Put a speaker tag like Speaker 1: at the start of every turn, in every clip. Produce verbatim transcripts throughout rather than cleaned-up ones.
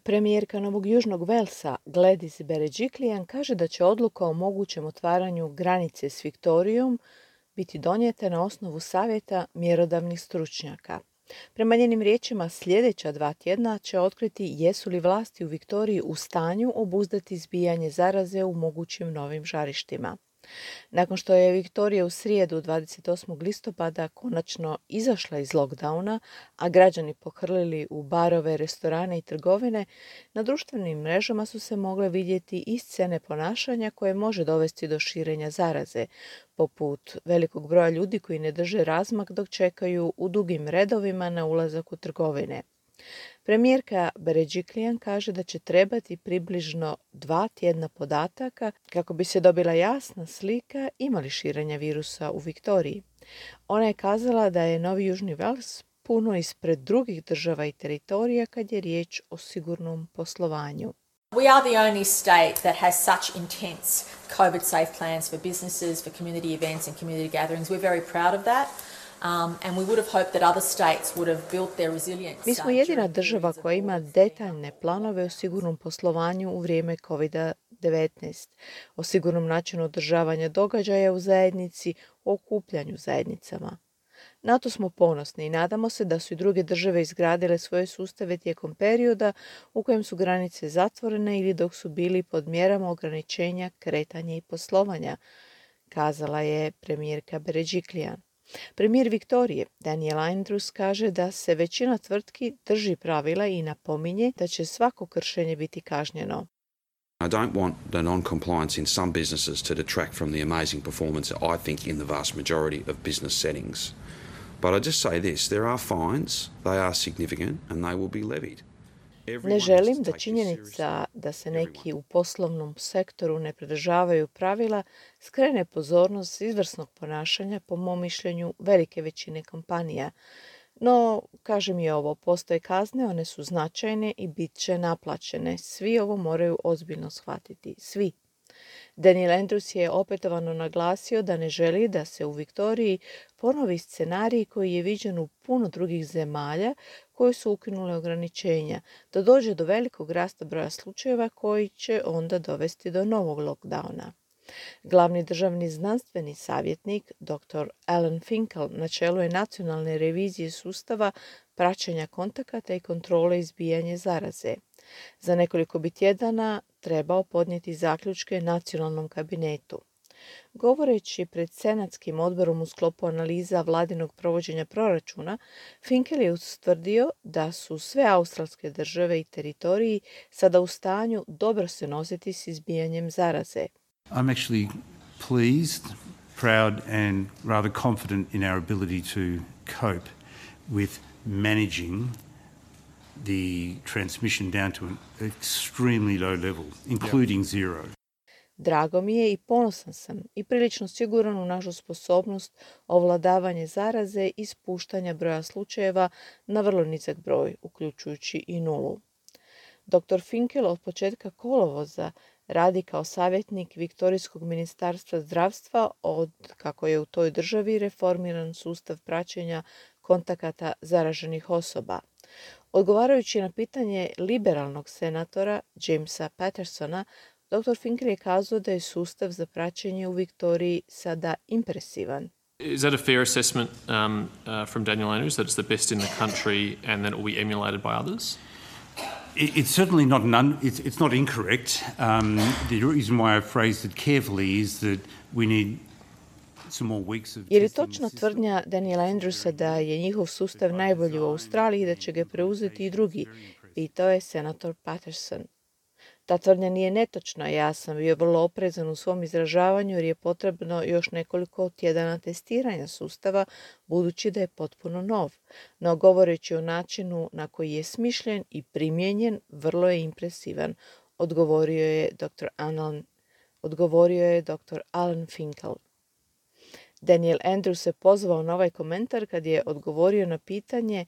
Speaker 1: Premijerka Novog Južnog Velsa Gladys Berejiklian kaže da će odluka o mogućem otvaranju granice s Viktorijom biti donijeta na osnovu savjeta mjerodavnih stručnjaka. Prema njenim riječima, sljedeća dva tjedna će otkriti jesu li vlasti u Viktoriji u stanju obuzdati izbijanje zaraze u mogućim novim žarištima. Nakon što je Viktorija u srijedu dvadeset osmog listopada konačno izašla iz lockdowna, a građani pohrlili u barove, restorane i trgovine, na društvenim mrežama su se mogle vidjeti i scene ponašanja koje može dovesti do širenja zaraze, poput velikog broja ljudi koji ne drže razmak dok čekaju u dugim redovima na ulazak u trgovine. Premijerka Berejiklian kaže da će trebati približno dva tjedna podataka kako bi se dobila jasna slika ima li širenja virusa u Viktoriji. Ona je kazala da je Novi Južni Vels puno ispred drugih država i teritorija kad je riječ o sigurnom poslovanju.
Speaker 2: We are the only state that has such intense COVID safe plans for businesses, for community events and community gatherings. We're very proud of that. Um, and we would have hoped that other states would have built their resilience.
Speaker 1: Mi smo jedina država koja ima detaljne planove o sigurnom poslovanju u vrijeme kovid devetnaest, o sigurnom načinu održavanja događaja u zajednici, o okupljanju zajednicama. Na to smo ponosni i nadamo se da su i druge države izgradile svoje sustave tijekom perioda u kojem su granice zatvorene ili dok su bili pod mjerama ograničenja kretanja i poslovanja, kazala je premijerka Berejiklian. Premijer Viktorije, Daniel Andrews, kaže da se većina tvrtki drži pravila i napominje da će svako kršenje biti kažnjeno.
Speaker 3: I don't want the non-compliance in some businesses to detract from the amazing performance, I think, in the vast majority of business settings. But I just say this, there are fines, they are significant, and they will be levied.
Speaker 1: Ne želim da činjenica da se neki u poslovnom sektoru ne pridržavaju pravila skrene pozornost s izvrsnog ponašanja, po mom mišljenju, velike većine kompanija. No, kažem i ovo, postoje kazne, one su značajne i bit će naplaćene. Svi ovo moraju ozbiljno shvatiti. Svi. Daniel Andrews je opetovano naglasio da ne želi da se u Viktoriji ponovi scenarij koji je viđen u puno drugih zemalja koje su ukinule ograničenja, da dođe do velikog rasta broja slučajeva koji će onda dovesti do novog lockdowna. Glavni državni znanstveni savjetnik, doktor Alan Finkel, na čelu je nacionalne revizije sustava praćenja kontakata i kontrole izbijanja zaraze. Za nekoliko bi tjedana trebao podnijeti zaključke nacionalnom kabinetu. Govoreći pred senatskim odborom u sklopu analiza vladinog provođenja proračuna, Finkel je ustvrdio da su sve australske države i teritoriji sada u stanju dobro se nositi s izbijanjem zaraze.
Speaker 4: I'm actually pleased, proud and rather confident in our ability to cope with managing the transmission down to an extremely low level, including zero.
Speaker 1: Drago mi je i ponosan sam i prilično siguran u našu sposobnost ovladavanje zaraze i spuštanja broja slučajeva na vrlo nizak broj, uključujući i nulu. doktor Finkel od početka kolovoza radi kao savjetnik Viktorijskog ministarstva zdravstva od kako je u toj državi reformiran sustav praćenja kontakata zaraženih osoba. Odgovarajući na pitanje liberalnog senatora Jamesa Pattersona, doktor Finkel je kazao da je sustav za praćenje u Viktoriji sada impresivan.
Speaker 5: Is that a fair assessment um, uh, from Daniel Andrews, that it's the best in the country and that it will be emulated by others?
Speaker 4: It, it's certainly not an un, it's, it's not incorrect. Um, the reason why I phrased it carefully is that we need some more weeks of.
Speaker 1: Je li točna tvrdnja Daniela Andrewsa da je njihov sustav najbolji u Australiji i da će ga preuzeti i drugi? Pitao je senator Patterson. Ta tvrdnja nije netočna, ja sam bio vrlo oprezan u svom izražavanju jer je potrebno još nekoliko tjedana testiranja sustava, budući da je potpuno nov. No govoreći o načinu na koji je smišljen i primijenjen, vrlo je impresivan, odgovorio je doktor Alan, odgovorio je doktor Alan Finkel. Daniel Andrews se pozvao na ovaj komentar kad je odgovorio na pitanje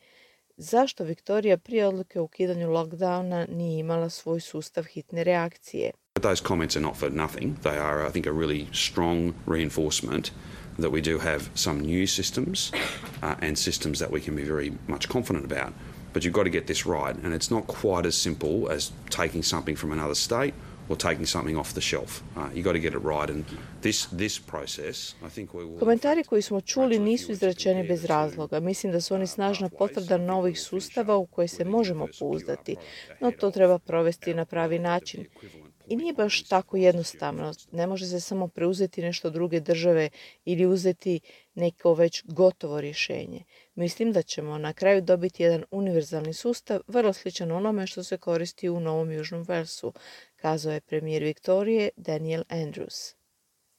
Speaker 1: zašto Viktorija prije odluke o ukidanju lockdowna nije imala svoj sustav hitne reakcije.
Speaker 3: Those comments are not for nothing. They are, I think, a really strong reinforcement that we do have some new systems uh, and systems that we can be very much confident about. but you've got to get this right, and it's not quite as simple as taking something from another state or taking something off the shelf. Uh, you got to get it right, and this this process, I think we will.
Speaker 1: Komentari koji smo čuli nisu izrečeni bez razloga. Mislim da su oni snažna potvrda novih sustava u koje se možemo pouzdati, no to treba provesti na pravi način. I nije baš tako jednostavno. Ne može se samo preuzeti nešto druge države ili uzeti neko već gotovo rješenje. Mislim da ćemo na kraju dobiti jedan univerzalni sustav, vrlo sličan onome što se koristi u Novom Južnom Walesu, kazao je premijer Viktorije Daniel Andrews.